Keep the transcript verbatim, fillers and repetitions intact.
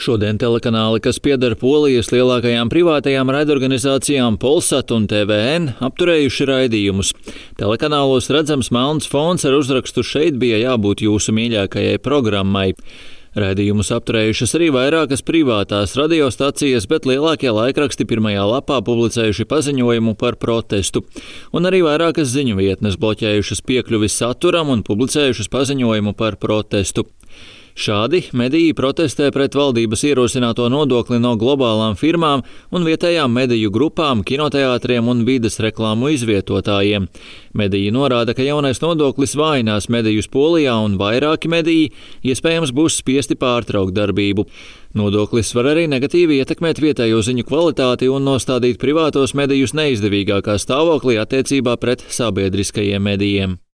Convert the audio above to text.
Šodien telekanāli, kas pieder Polijas lielākajām privātajām raidorganizācijām Polsat un T V N, apturējuši raidījumus. Telekanālos redzams melns fons ar uzrakstu "Šeit bija jābūt jūsu mīļākajai programmai". Raidījumus apturējušas arī vairākas privātās radiostacijas, bet lielākie laikraksti pirmajā lapā publicējuši paziņojumu par protestu. Un arī vairākas ziņu vietnes bloķējušas piekļuvi saturam un publicējušas paziņojumu par protestu. Šādi mediji protestē pret valdības ierosināto nodokli no globālām firmām un vietējām mediju grupām, kinoteātriem un vides reklāmu izvietotājiem. Mediji norāda, ka jaunais nodoklis vājinās medijus Polijā un vairāki mediji iespējams būs spiesti pārtraukt darbību. Nodoklis var arī negatīvi ietekmēt vietējo ziņu kvalitāti un nostādīt privātos medijus neizdevīgākā stāvoklī attiecībā pret sabiedriskajiem medijiem.